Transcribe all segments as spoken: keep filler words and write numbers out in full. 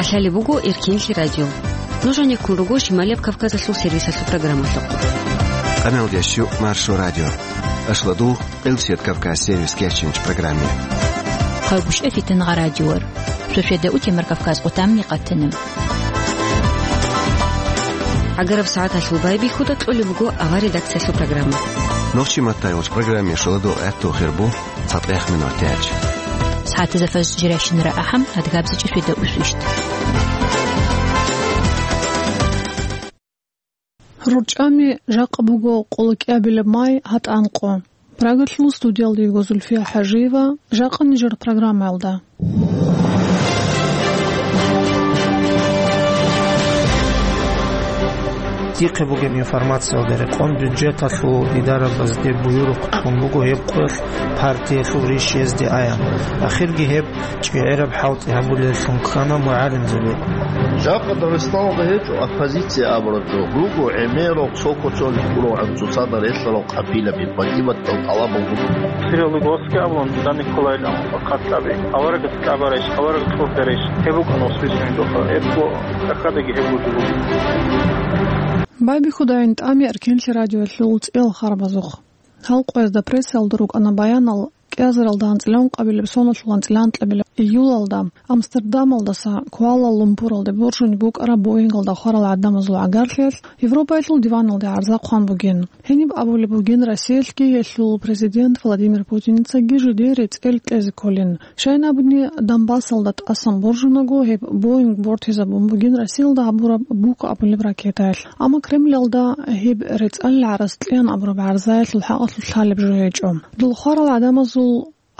Лъалеб буго Эркенлъи радио. Нуж гьанеккун руго Шималияб Кавказалъул сервисалъул программалъухъ. Къамелдеш щу Маршо радио. Ашладу Къилсият Кавказ сервис кечинч программе. Хъагушев Фитангъа радиор. Шошеда утемар Кавказ къутамни къатана. ГӀагараб сагӀаталъул байбихьуда кьолеб буго авар редакциялъул программа. Нохчи маттайулч программе шоладу гӀатту хирбу. ЦатӀех минут тяч. СагӀатазда фажр жирашинара ахӀам, адгабзичӀи шведа усвищт. РурчӀами жакъа буго къолокӀиабилеб май гьатӀанкъо. Прагалъул студиялда йиго Зульфия ХӀажиева, жакъа нижер программаялда. Дихъе бугеб информациялда рекъон бюджеталъул идарабазде буюрухъ кьун буго гьеб къоялъ партиялъул риш гьезде аян. Ахирги гьеб чӀегӀераб хӀалтӀи гьабулеллъун ккана мугӀалимзаби. Жакъа Дагъистаналда гьечӀо оппозиция абураб жо. Руго гӀемерал цо куцалъ гурогӀан цоцазда релълъарал къабилаби, батӀи-батӀиял тӀалабал руго. Сириял руго Оскиаблон, Дан Николайл аму, Хъатаби. Аварагас кӀабарайищ, авараг кьурдарайищ, гьеб букӀана освисунидухъа. Гьебго тӀахьадаги гьеб буго. Байбихьудайин тӀами Эркенлъи радиоялъул цӀиял харабазухъ. Гьал къоязда прессаялда рукӀана баянал, кӀиазаралда анцӀила ункъабилеб соналъул анцӀила анкьабилеб июлалда Амстердамалдаса Куала-Лумпуралде боржунеб букӀараб Боингалда хварал гӀадамазул гӀагарлъиялъ Европаялъул диваналде гӀарза хъван бугин. Гьениб абулеб бугин Россиялъги гьелъул президент Владимир Путиницаги жидее рецӀел кьезе кколин. Щайин абуни, Донбассалда тӀасан боржунаго гьеб Боинг бортизабун бугин Россиялда гьабураб буко абулеб ракетаялъ. Амма Кремлалда гьеб рецӀалил гӀарац кьеян абураб гӀарзаялъул хӀакъалъулъ лъалеб жо гьечӀо. Дол хварал гӀадамазул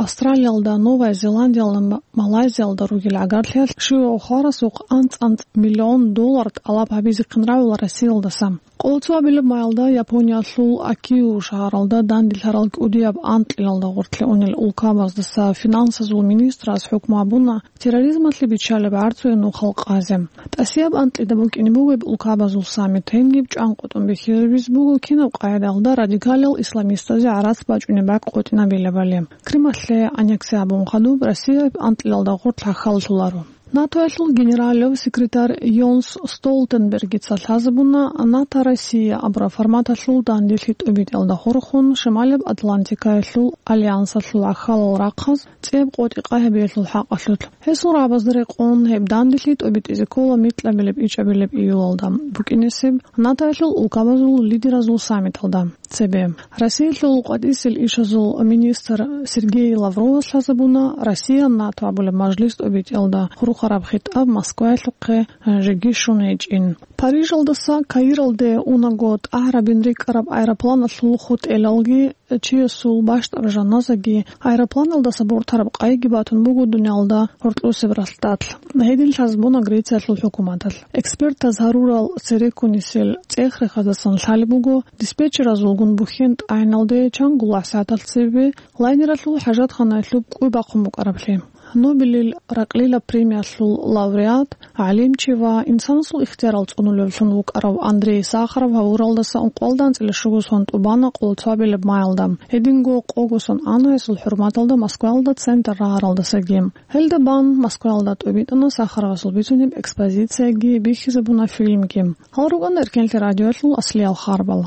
Австралиялда, Новая Зеландиялда, М-, Малайзиялда ругел гӀагарлъиялъ щивав хварасухъ анцӀ-анцӀ миллион доллар тӀалаб гьабизехъин рагӀула Россиялдаса. Къоло цоабилеб маялда Япониялъул Акио шагьаралда данделъарал кӀудияб анкьилалда гъоркье унел улкабаздаса финансазул министрас хӀукму гьабуна терроризмалъе биччалеб гӀарцуе нухал къазе. ТӀасияб анкьида букӀине бугеб улкабазул саммит гьениб чӀванкъотӀун бихьизабиз буго кинаб къагӀидаялда радикалал исламистазе гӀарац бачӀунеб бакӀ къотӀинабилебали. Крималъе аннекси гьабун хадуб Россияб анкьилалда гъоркь хӀахьаллъуларо. НАТОялъул генералав секретарь Йонс Столтенбергица лъазабуна НАТО-Россия абураб форматалъул данделъи тӀубитӀиялда хурхун Шималаб Атлантикаялъул альянсалъул ахалал рахъаз цӀияб къотӀи къагьабиялъул хӀакъалъулъ. Гьесул рагӀабазда рекъон гьеб данделъи тӀубитӀизе ккола микьабилеб-ичӀабилеб июлалда букӀинесеб НАТОялъул улкабазул лидеразул саммиталда. Цебе Россиялъул къватӀисел ишазул министр Сергей Лавровас лъазабуна Россия-НАТО абулеб мажлис тӀубитӀиялда хурхараб хитӀаб Москваялъухъе жеги щун гьечӀин. Парижалдаса Каиралде унаго тӀагӀарабин рикӀкӀараб аэропланалъул хутӀелалги чиясул бащтӀаб жаназаги аэропланалдаса бортараб къайги батун буго дуниялда гьоркьосеб ралъдалъ. Гьедин лъазабуна Грециялъул хӀукуматалъ. Экспертаз гьарурал цереккунисел цӀех-рехаздасан лъалеб буго, диспетчеразулгун бухьен тӀагӀиналде чан гулагӀ сагӀаталъ цебе лайнералъул хӀажатханаялъуб кӀуй бахъун букӀараблъи. Нобелил ракълила премиялъул лауреат, гӀалимчи ва инсанасул ихтиярал цӀунулевлъун вукӀарав Андрей Сахаров гьавуралдаса ункъоялда анцӀила щуго сон тӀубана къоло цоабилеб маялда. Гьединго къого сон ана гьесул хӀурматалда Москваялда центр рагӀаралдасаги. Гьелда бан Москваялда тӀубитӀана Сахаровасул бицунеб экспозицияги, бихьизабуна фильмги. Гьал рукӀана Эркенлъи радиоялъул аслиял харбал.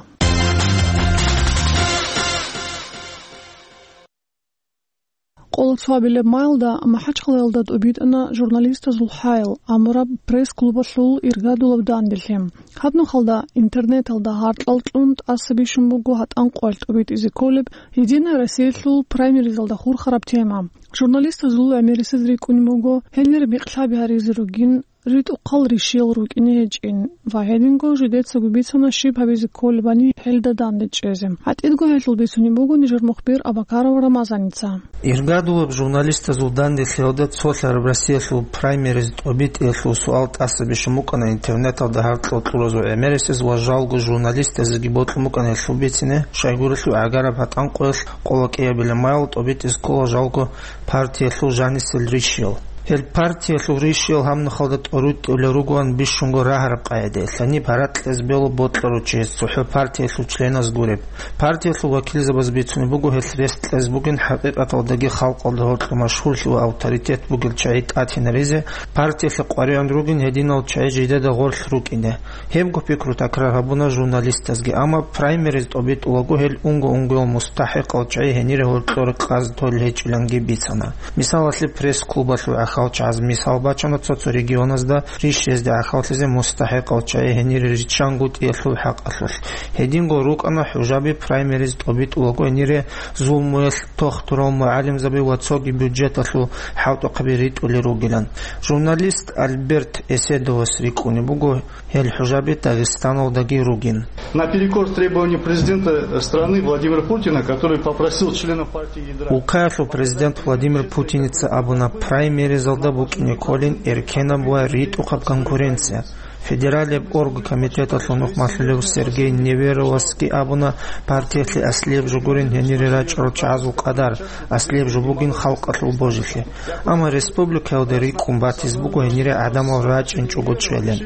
Къоло цоабилеб маялда МахӀачхъалаялда тӀубитӀана «Журналистазул хӀайл» абураб пресс-клубалъул иргадулаб данделъи. Гьаб нухалда интернеталда гьаркьал кьун тӀаса бищун буго гьатӀан къоялъ тӀубитӀизе кколеб «Единая Россиялъул» праймеризалда хурхараб тема. Журналистазул гӀемерисез рикӀкӀунеб буго гьенир микьлъаби гьаризе ругин, ритӀухъал ришиял рукӀине гьечӀин ва гьединго жидецаго бицана щиб гьабизе кколебани гьелда данде чӀезе. ГьатӀидго гьелъул бицунеб буго нижер мухбир Абакаров Рамазаница. Иргадулаб журналистазул данделъиялда цолъараб Россиялъул праймериз тӀубитӀиялъул суал тӀаса бищун букӀана интернеталда гьаркьал кьуразул гӀемерисез ва жалго журналистазеги бокьун букӀана гьелъул бицине, щайгурелъул гӀагараб гьатӀан къоялъ къоло кӀиабилеб маялда тӀубитӀизе ккола жалго партиялъул жанисел ришиял. Гьел партиялъул ришиял гьаб нухалда тӀоритӀулел ругоан бищунго рагьараб къагӀидаялъ, гьаниб гьаракь кьезе бегьула бокьарав чи гьес цохӀо партиялъул членаз гуреб. Партиялъул вакилзабаз бицунеб буго гьелъ рес кьезе бугин хӀакъикъаталдаги халкъалда гьоркьоб машгьурлъи ва авторитет бугел чагӀи тӀатинаризе, партиялъе къваригӀун ругин гьединал чагӀи жидеда гъорлъ рукӀине. Гьебго пикру такрар гьабуна журналистазги, амма праймериз тӀобитӀулаго гьел унго-унгоял мустахӀикъал чагӀи гьенире гьоркьор къаз толел гьечӀиланги бицана. Мисалалъе, пресс-клубалъул гӀахьалчагӀаз мисал бачана цо-цо регионазда риш гьезде гӀахьаллъизе мустахӀикъал чагӀи гьенире риччанго тӀиялъул хӀакъалъулъ. Гьединго рукӀана хӀужаби праймериз тӀобитӀулаго гьенире зулмуялъ тохтурал мугӀалимзаби ва цоги бюджеталъул хӀалтӀухъаби ритӀулел ругилан. Журналист Альберт Эседовас рикӀкӀунеб буго гьел хӀужаби Дагъистаналдаги ругин. Наперекор требованию президента страны Владимира Путина, который попросил членов партии ядра. Улкаялъул президент Владимир Путиница абуна, праймеризалда букӀине кколин эркенаб ва ритӀухъаб конкуренция. Федералияб оргкомитеталъул нухмалъулев Сергей Неверовасги абуна, партиялъе аслияб жо гурин гьенире рачӀарал чагӀазул къадар, аслияб жо бугин халкъалъул божилъи. Амма республикаялда рикӀкӀун батизе буго гьенире гӀадамал рачӀинчӀого чӀвелин.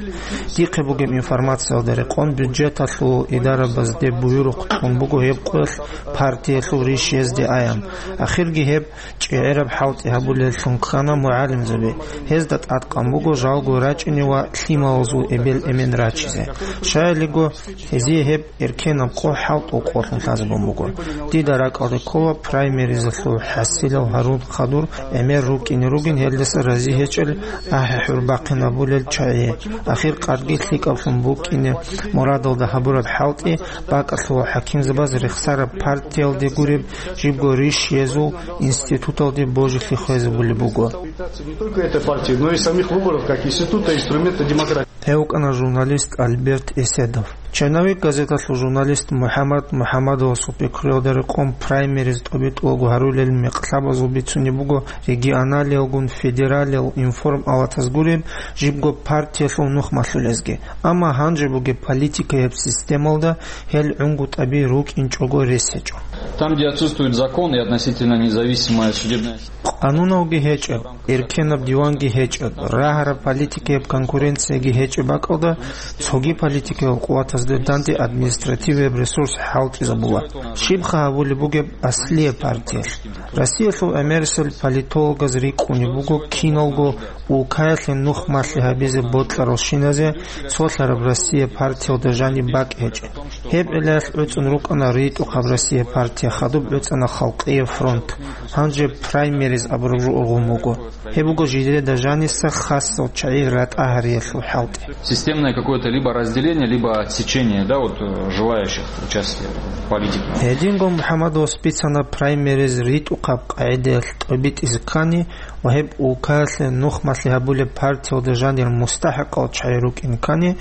Дихъе бугеб информациялда рекъон, бюджеталъул идарабазде буюрухъ кьун буго гьеб къоялъ партиялъул риш гьезде аян. Ахирги гьеб чӀегӀераб хӀалтӀи гьабулеллъун ккана мугӀалимзаби. Гьезда тӀадкъан буго жалго рачӀине ва лъималазул эбел-эмен рачизе. Щаялиго, гьезие гьеб эркенаб къо хӀалтӀул къолъун лъазабун буго. Дида ракӀалде ккола праймеризалъул хӀасилал гьарун хадур гӀемер рукӀине ругин, гьелдаса рази гьечӀел ахӀи-хӀур бахъинабулел чагӀи. Ахир къадги лъикӀаблъун букӀине мурадалда гьабураб хӀалтӀи бакӀалъула хӀакимзабаз рехсараб партиялде гуреб жибго риш гьезул институталде божилъи хвезабулеб буго. Не только этой партии, но и самих выборов как института, инструмента демократии. Гьев вукӀана журналист Альберт Эседов. Черновик газеталъул журналист МухӀаммад МухӀаммадовасул пикруялда рекъон праймериз тӀобитӀулаго гьарулел мекълъабазул бицунеб буго регионалиялгун федералиял информалатаз гуреб жибго партиялъул нухмалъулезги. Амма гьанже бугеб политикаяб системалда гьел гӀунгутӀаби рукӀинчӀого рес гьечӀо. Там, где отсутствует закон и относительно независимая судебная система. Къануналги гьечӀеб, эркенаб диванги гьечӀеб, рагьараб политикаяб конкуренцияги гьечӀеб бакӀалда, цоги политикаял къуватазда данде административияб ресурс хӀалтӀизабула. Щибха гьабулеб бугеб аслияб партиялъ? Россиялъул гӀемерисел политологаз рикӀкӀунеб буго киналго улкаялъе нухмалъи гьабизе бокьаралщиназе цолъараб Россия партиялда жаниб бакӀ гьечӀеб. Гьеб гӀиллаялъ гӀуцӀун рукӀана РитӀухъаб Россия партия, хадуб гӀуцӀана Халкъияб фронт, гьанже праймериз абураб жо ургъун буго. Гьеб буго жидеда жаниса хасал чагӀи ратӀа гьариялъул хӀалтӀи. Системное какое-то либо разделение, либо отсечение, да, вот, э, желающих участия в политике. Гьединго МухӀаммадовас бицана праймериз ритӀухъаб къагӀидаялъ тӀобитӀизе ккани ва гьеб улкаялъе нухмалъи гьабулеб партиялда жанир мустахӀикъал чагӀи рукӀин ккани,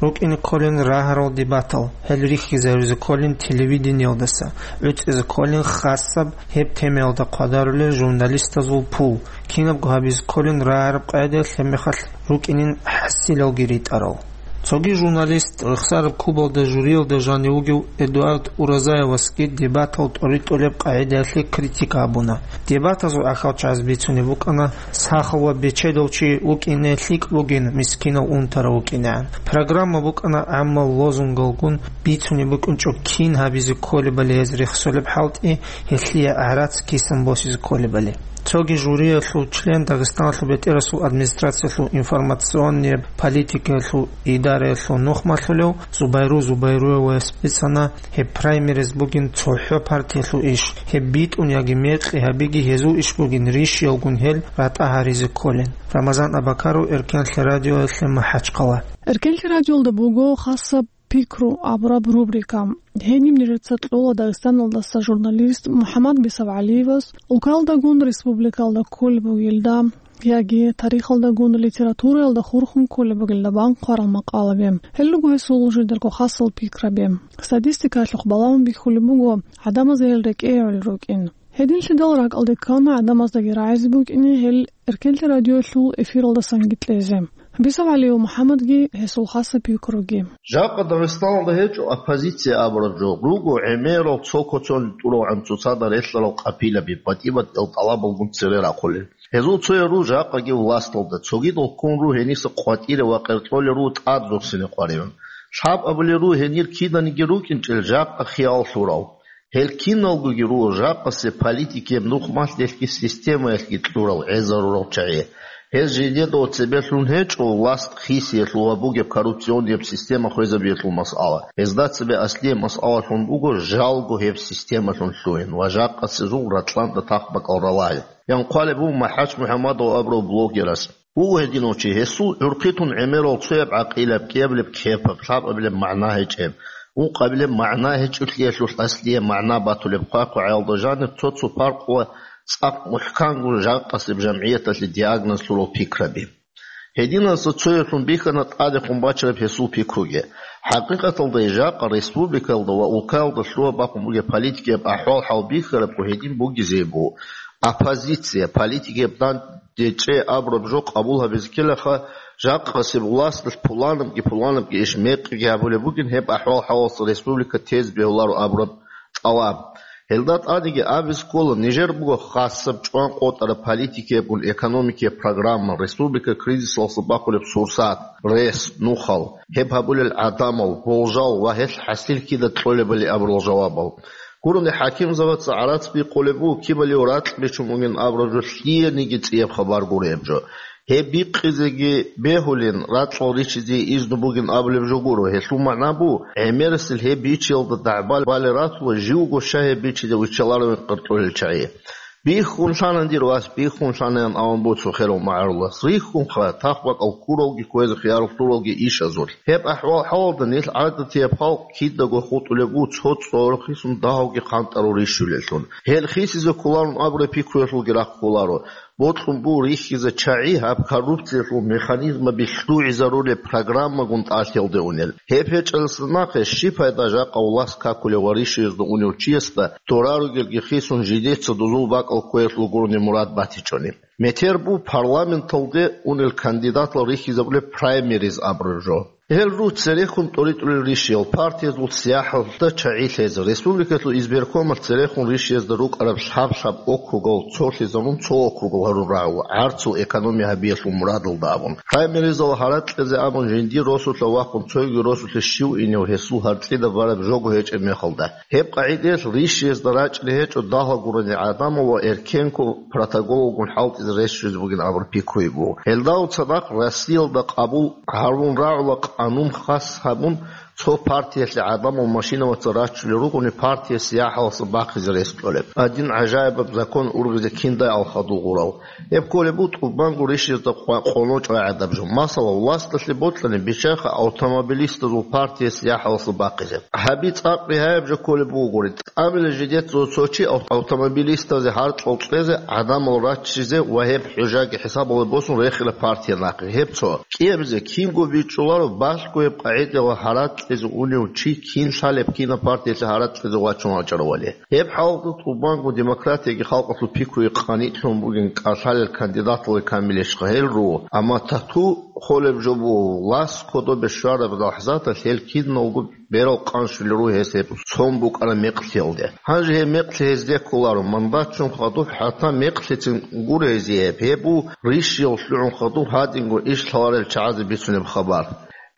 рукӀине кколин рагьарал дебатал, гьел рихьизаризе кколин телевидениялдаса, гӀуцӀизе кколин хасаб гьеб темаялда хъвадарулел журналистазул пул, кинабго гьабизе кколин рагьараб къагӀидаялъ, гьебмехалъ рукӀинин хӀасилалги ритӀарал. Цоги журналист, рехсараб клубалда жюриялда жанив вугев Эдуард Уразаевасги дебатал тӀоритӀулеб къагӀидаялъе критика гьабуна. Дебатазул ахӀалчагӀаз бицунеб букӀана, сахал ва бечедав чи вукӀине лъикӀ бугин, мискинав унтарав вукӀинегӀан. Программа букӀана гӀаммал лозунгалгун, бицунеб букӀинчӀо кин гьабизе кколебали гьез рехсолеб хӀалтӀи, гьелъие гӀарац кисан босизе кколебали. Цоги жюриялъул член, Дагъистаналъул бетӀерасул администрациялъул информационнияб политикаялъул идараялъул нухмалъулев Зубайру Зубайруевас бицана, гьеб праймериз бугин цохӀо партиялъул иш, гьеб битӀун яги мекъи гьабиги гьезул иш бугин, ришиялгун гьел ратӀа гьаризе кколин. Рамазан Абакаров, Эркенлъи радиоялъе, МахӀачхъала. Эркенлъи радиоялда буго хасаб пикру абураб рубрика. Гьениб нижеца кьола Дагъистаналдаса журналист МухӀаммад БисавгӀалиевас, улкалдагун республикалда кколеб бугелда яги тарихалдагун литератураялда хурхун кколеб бугелда бан хъварал макъалаби. Гьел руго гьесул жидерго хасал пикраби. Статистикаялъухъ балагьун бихьулеб буго, гӀадамазда гьел рекӀее гӀоло рукӀин. Гьединлъидал ракӀалде ккана гӀадамаздаги рагӀизе букӀине гьел Эркенлъи радиоялъул эфиралдасанги кьезе. Бисав ГӀалиев МухӀаммадги гьесул хасаб пикруги. Жакъа Дагъистаналда гьечӀо оппозиция абураб жо, руго гӀемерал цо коцон тӀуралгӀан цоцазда релълъарал къапилаби, батӀи-батӀиял тӀалабалгун цере рахъулел. Гьезул цоял ру жакъаги власталда, цогидал ккун ру гьениса къватӀире ва къеркьолел ру тӀад зурсине къваригӀун. Лъаб абулел ру гьенир киданиги рукӀинчӀел жакъа хиял лъурал. Гьел киналгоги руго жакъасе политикияб нухмалъ делъги системаялъги кьурал гӀезарурал чагӀи. Гьез жидеда цебелъун гьечӀо власт хисиялъул ва бугеб коррупционияб система хвезабиялъул масъала. Гьезда цебе аслияб масъалалъун буго жалго гьеб системалъун лъугьин ва жакъасезул ратӀланда тахбакӀал ралагьи. Ян хъвалеб буго МахӀач МухӀаммадов абурав блогерас. Вуго гьединав чи, гьесул гӀурхъи тун гӀемерал цояб гӀакъилаб, кӀиабилеб кепаб, лъабабилеб магӀна гьечӀеб, ункъабилеб магӀна гьечӀолъиялъулъ аслияб магӀна батулеб хъвай-хъвагӀаялда жаниб цо-цо паркъ ва цӀакъ мухӀкангун жакъасеб жамгӀияталъе диагноз лъурал пикраби. Гьединаса цояблъун бихьана тӀадехун бачараб гьесул пикруги. ХӀакъикъаталда жакъа республикаялда ва улкаялда лъугьа-бахъун бугеб политикияб ахӀвал-хӀал бихьарабго гьедин бугезе буго. Оппозиция, политикияб дандечӀей абураб жо къабул гьабизе ккелаха, жакъасеб власталъ пуланабги-пуланабги иш мекъиги гьабулеб бугин гьеб ахӀвал-хӀалалъа республика тезе бегьуларо абураб тӀалаб. Гьелда тӀадеги абизе ккола, нижер буго хасаб чӀван къотӀараб политикиябгун экономикияб программа, республика кризисалъа бахулеб сурсат, рес, нухал, гьеб гьабулел гӀадамал, болжал ва гьелъ хӀасил кида кьолебали абурал жавабал. Гурони хӀакимзабаца гӀарац бикъулеб буго, кибалив ракь бичун бугин абураб жо лъиениги цӀияб хабар гуреб жо. Гьеб бикъизеги бегьулин, ракьал ричизе изну бугин абулеб жо гуро. Гьелъул магӀна буго, гӀемерасел гьеб бичиялда дагӀбал бале ратула, живго щай гьеб бичизе виччаларовин къартӀулел чагӀи. Бихьун лъана, дир вас, бихьун лъана, ян авун буго цо херав магӀарулас. Рихьунха, тахбакӀал ккуралги кквезе хиярулъуралги ишазулъ. Гьеб ахӀвал-хӀалалда нилъ гӀадатияб халкъ кидаго хутӀулеб буго цо цӀорохъисун дагьавги хъантӀарав рищулеллъун. Гьел хисизе кколарун абураб пикруялъулги рахъ кколаро. Бокьун буго рихьизе чагӀи гьаб коррупциялъул механизмаби лъугӀизарулеб программагун тӀалъиялде унел. Гьеб гьечӀелса нахъе щиб пайда жакъа власт какулев ва рищиязда унев чиясда дора ругелги хисун жидеца дозул бакӀал кквеялъул гурони мурад батичӀони? Метер буго парламенталде унел кандидатал рихьизабулеб праймериз абураб жо. Гьел ру церехун тӀоритӀулел рищиял партиязул сияхӀалда чагӀи лъезе, республикалъул избиркомалъ церехун рищиязда рукӀараб лъаб-лъаб округал цолъизарун цо округал гьарун рагӀула, гӀарцул экономия гьабиялъул мурадалда абун. Праймеризал гьаракь кьезе абун жиндир росулъа вахъун цоги росулъе щив инев гьесул гьарцӀида бараб жого гьечӀеб мехалда. Гьеб къагӀидаялъ рищиязда рачӀине гьечӀо дагьал гурони гӀадамал ва эркенго протоколалгун хӀалтӀизе рещтӀизе бугин абураб пикруги буго. Гьелдал цадахъ Россиялда къабул гьарун рагӀула къанун хас гьабун, цо партиялъе гӀадамал машинаваца рачулел ругони партия сияхӀаласа бахъизе рес кьолеб. Гьадин гӀажаибаб закон ургъизе киндай ал хадув гъурав? Гьеб кколеб буго тӀубанго рищиязда къва-, къоло чӀвай гӀадаб жо. Масала, власталъе бокьани, биччайха автомобилистазул партия сияхӀаласа бахъизе. Гьаби цӀакъ бигьаяб жо кколеб бугогури. ТӀамила жидецаго цо чи ав-, автомобилистазе гьаркьал кьезе, гӀадамал раччизе ва гьеб хӀужаги хӀисабалде босун рехила партия нахъе. Гьеб цо. КӀиабизе кинго бичӀчӀуларо балъго гьеб къагӀидала гьаракь кьезе унев чи кин лъалеб, кинаб партиялъе гьаракь кьезе вачун вачӀаравали. Гьеб хӀалалда тӀубанго демократияги халкъалъул пикруги къанитлъун бугин кӀалъалел кандидаталги камилищха гьел руго, амма тату холеб жо буго, власт кодобе щвараб лахӀзаталъ гьел киналго берал къанщулел руго гьес гьеб цон букӀараб мекълъиялде. Гьанже гьеб мекълъи гьезде кколаро, мандатчун хадуб хӀатта мекълъицин гуро гьезие гьеб. Гьеб буго рищиял лъугӀун хадуб гьадинго иш лъаларел чагӀазе бицунеб хабар.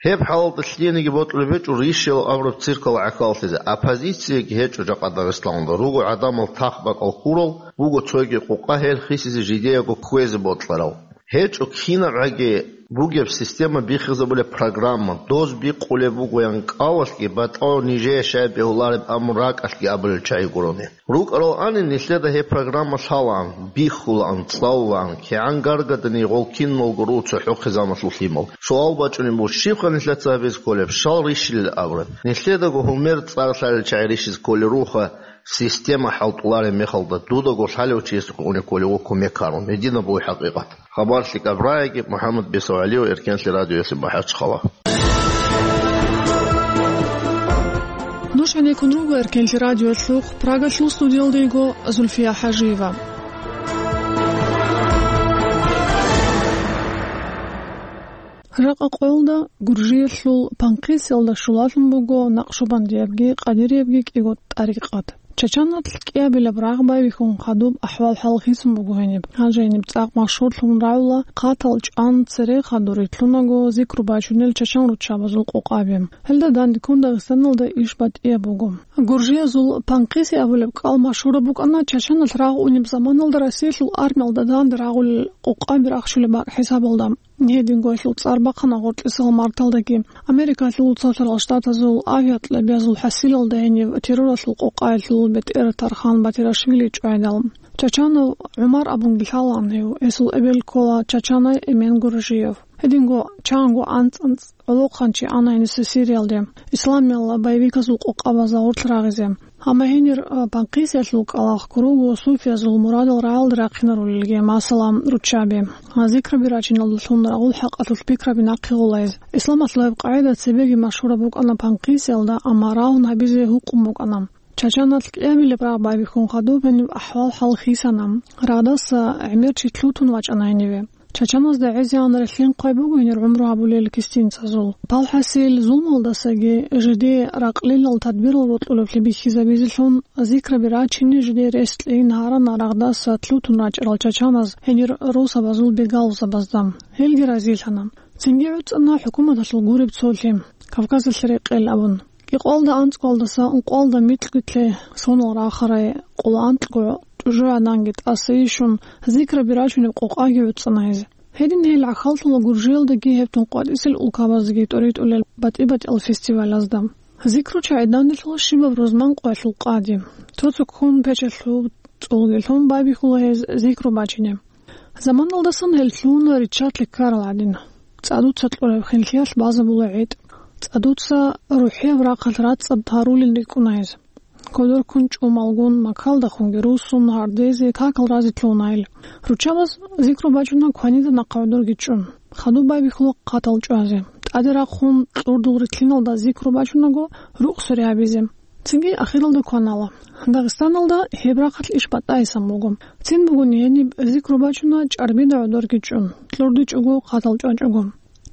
Гьеб хӀалалда лъиениги бокьулеб гьечӀо рищиял абураб циркал гӀахьаллъизе. Оппозицияги гьечӀо жакъа Дагъистаналда. Руго гӀадамал тахбакӀал ккурал, буго цойги къукъа гьел хисизе жидеего кквезе бокьарал. ГьечӀо кинабгӀаги бугеб система бихизабулеб программа, доз бикъулеб бугоян кӀалалъги батӀал нижее щай бегьулареб абун ракӀалъги абулел чагӀи гурони. РукӀарал ани нилъеда гьеб программа лъалаан, бихьулаан, цӀалулаан, кигӀан гаргадани гъол киналго руго цохӀохъе замалъул лъимал. Суал бачӀунеб буго, щибха нилъеца гьабизе кколеб, щал рищилел абураб? Нилъедаго гьумер цӀар лъалел чагӀи рищизе кколел ругоха, система хӀалтӀулареб мехалда, дудаго лъалев чиясухъе унеб кколев вуккун мекарун. Гьединаб буго хӀакъикъат. Хабар лъикӀаб рагӀиги, МухӀаммад Бесав ГӀалиев, Эркенлъи радиоялъе, МахӀачхъала. Нуж гьанеккун руго Эркенлъи радиоялъухъ, Прагалъул студиялда йиго Зульфия ХӀажиева. Жакъа къоялда Гуржиялъул Панкъисиялда щулалъун буго накъшубандиябги къадириябги кӀиго тӀарикъат. Чачаналъ кӀиабилеб рагъ байбихьун хадуб ахӀвал-хӀал хисун буго гьениб. Гьанже гьениб цӀакъ машгьурлъун рагӀула хъатал чӀван цере хадур рилълъунаго зикру бачунел чачан руччабазул къокъаби. Гьелда дандеккун Дагъистаналда иш батӀияб буго. Гуржиязул Панкъиси абулеб кӀал машгьураб букӀана чачаналъ рагъ унеб заманалда Россиялъул армиялда данде рагъулел къокъаби рахчулеб бакӀ хӀисабалда. Гьединго гьелъул цӀар бахъана гъоркьисал марталдаги. Америкалъул Цоцарал Штатазул авиакьабазул хӀасилалда гьенив терроралъул къокъаялъул бетӀер Тархан Батирашвили чӀвайдал. Чачанов ГӀумар абунги лъалаан гьев, гьесул эбел ккола чачанай Эмен Гуржиев. Гьединго чанго анцӀ-анцӀ гӀолохъанчи ана гьениса Сириялде, исламиялъ боевиказул къокъабазда гъорлъ рагъизе. Амма гьенир, а, Панкъисиялъул кӀалалъ ккурого суфиязул мурадал рагӀалде рахъинарулелги, масала, руччаби. А, зикраби рачиналдалъун рагъул хӀакъалъулъ пикраби нахъе гъолайз. Исламалъул гьеб къагӀида цебеги машгьураб букӀана Панкъисиялда, амма рагьун гьабизе гьукъун букӀана. Чачаналъ кӀиабилеб рагъ байбихьун хадуб гьениб ахӀвал-хӀал хисана. Рагъдаса гӀемер чи лъутун вачӀана гьениве. Чачаназда гӀезегӀан релълъин хъвай буго гьенир гӀумру гьабулел кистинцазул. Палхасил зулмалдасаги жидее ракълилал тадбирал рокьулеблъи бихьизабизелъун, зикраби рачине жидее рес кьейин гьарана рагъдаса лъутун рачӀарал чачаназ гьенир росабазул бегалъусабазда. Гьелги разилъана. Цинги гӀуцӀана хӀукуматалъул гуреб цолъи, Кавказалъе рекъел абун. Кьикъоялда анцӀгоялдаса ункъоялда микьго-микьго сонал рахарай къоло анкьго тӀужугӀаданги тӀаса ишун, зикраби рачунеб къокъаги гӀуцӀана гьез. Гьедин гьел гӀахьаллъула Гуржиялдаги гьеб тун къватӀисел улкабаздаги тӀоритӀулел батӀи-батӀиял фестивалазда. Зикру чагӀи данделъула щибаб рузман къоялъул къади. Цо-цо ккун печалъул цӀолги лъун байбихьула гьез зикру бачине. Заманалдасан гьел лъугьуна риччалъе ккарал гӀадин. ЦӀадуца кьураб хинлъиялъ базабула гӀетӀ. ЦӀадуца рухӀияб рахъалъ рацӀцӀад гьарулин рикӀкӀуна гьез. Кодор ккун чӀумалгун, макалдахунги руссун, гьардезе, какал разе лъугьуна гьел. Руччабаз зикру бачуна кванида нахъа гӀодорги чӀун. Хадуб байбихьула хъатал чӀвазе. ТӀаде рахъун кьурдул рилълъиналда зикру бачунаго рукъ суре гьабизе. Цинги ахиралда кванала. Дагъистаналда гьеб рахъалъ иш батӀайсан буго. Цин бугони гьениб зикру бачуна чӀарбида гӀодорги чӀун, кьурдичӀого хъатал чӀвачӀого.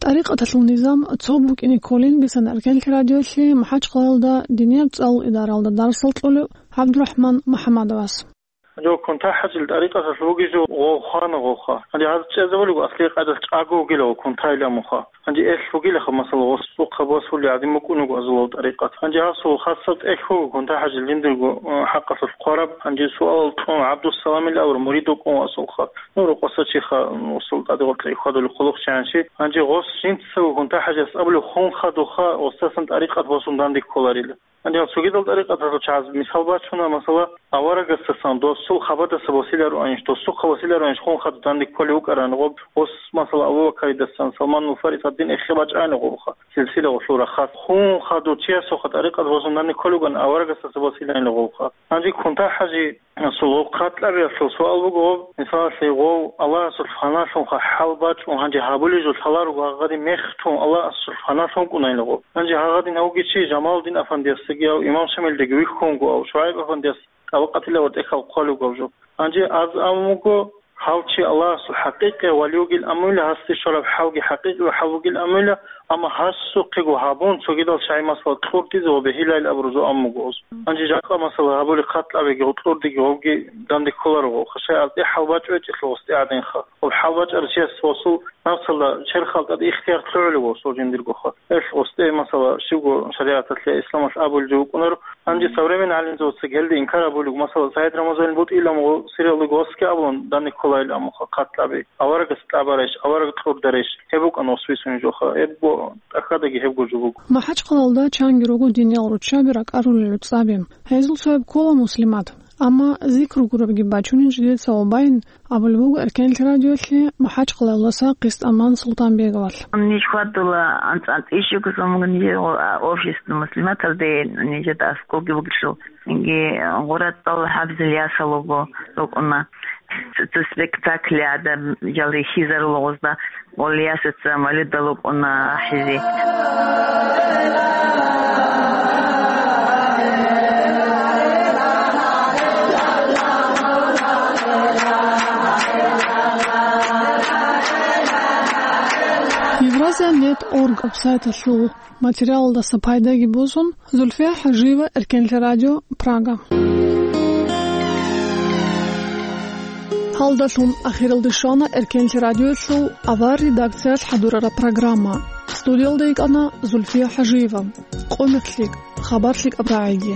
ТӀарикъаталъул низам цо букӀине кколин бисан Эркенлъи радиолъе МахӀачхъалаялда динияб цӀалул идаралда дарсал кьолев ГӀабдурахӀман МухӀаммадовас. Жо кунта-хӀажил тӀарикъаталъ бугеб жо гъов хвана гъовха. Гьанже гьаз чӀезабулего аслияб къайдалъ чӀаго вугилаго кунтайилан муха. Гьанже эл вугилаха, масала, гъос цӀухъа босулев гӀадин букӀунего азулав тӀарикъат. Гьанже гьасул хасаб тӀехь буго кунта-хӀажил жиндирго, э, хӀакъалъулъ хъвараб. Гьанже суалал кьун ГӀабдуссаламил авар мурид вукӀун васулха. Ну, рукъаса чиха, м, усул тӀаде гъоркье хьвадулев хъулухъчи гьанчи. Гьанже гъос жинцаго кунта-хӀажас абулев хун хадуха, гъосдасан тӀарикъат босун данде кколарила. Гьанже гьал цогидал тӀарикъаталъул чагӀаз мисал бачуна, масала, аварагасдасан досул хабадаса босилароанищ, досухъа босилароанищ хун хадур данде кколев вукӀарани гъоб, гъос, масала, Абу Бакаридасан, Салманул Фарис гьадин эхе бачӀайна гъобха, силсила гъолъул рахъалъ. Хун хадур чиясухъа тӀарикъат босун данде кколев вукӀана, аварагасдаса босилайна гъобха. Гьанже кунта-хӀажи Расул, гъов хъатӀлъабиялъул суал буго, гъов, мисалалъе, гъов Аллагьасул фаналъунха хӀал бачӀун гьанже гьабулеб жо лъаларого гьагъадин мехтун Аллагьасул фаналъун вукӀунайила гъов. Гьанже гьагъадин гьавги чи Жамалудин афандиясдаги гьав, Имам Шамилдаги вихьунго гьав, ШугӀайб афандияс тӀабакъатила ва тӀехьал хъвалуго гьав жо. Гьанже аз ам вуго, гьав чи Аллагьасул хӀакъикъияв вали вугил амуйла, гьасде щвараб хӀалги хӀакъикъияв хӀал вугил амуйла, амма гьасухъего гьабун, цогидал чагӀи масала кьуртӀизе ва бегьилайил абурузу ам вуго гъоз. Гьанже жакъа масала гьабули хъатӀлъабиги, гъукьурдиги гъовги данде кколаро гъо. Хъашай аз тӀе хӀалбачӀо гьечӀелъул гъос тӀе гӀадинха. Гъоб хӀалбачӀарав чияс гъосул напсалда черхалда тӀад ихтияр лъугӀулев гъосул жиндиргоха. Эл гъос тӀе масала щибго шаригӀаталъе, исламалъ абулев вукӀунаро. Гьанже современный гӀалимзабаца гьелде инкар абулев, масала, СагӀид Рамазанил БутӀилан гъо-, сериалда гъосги абун данде кколайил амуха хъатӀлъаби. Аварагас тӀабарайищ, авараг кьурдарайищ, гьеб букӀана освисуней жоха, гьебго тӀахьадаги гьебго жо буго. МахӀачхъалалда чанги руго диниял руччаби ракӀарулел гӀуцӀаби. Гьезул цояб ккола Муслимат. Амма зикру гурабги бачунин жидеца ва байин абулеб буго Эркенлъи радиолъе МахӀачхъалалдаса Къистаман Султанбеговалъ. Ниж хьвадула анцӀ-анцӀ ишигузумгун офис Муслиматалде нижеда аскӀовги бугелъул. Цинги гъуратал хӀабзил ясал руго рукӀуна. Цо спектакль гӀадамал рихьизарул гъозда, гъол ясаца малидал рукӀуна ахӀизе. Нет орг вебсайталъул материалалдаса пайдаги босун, Зульфия ХӀажиева, Эркенлъи радио, Прага. Гьалдалъун ахиралде щвана Эркенлъи радиоялъул авар редакциялъ хӀадурараб программа. Студиялда йикӀана Зульфия ХӀажиева. Къо мехлъи, хабар лъикӀаб рагӀиги.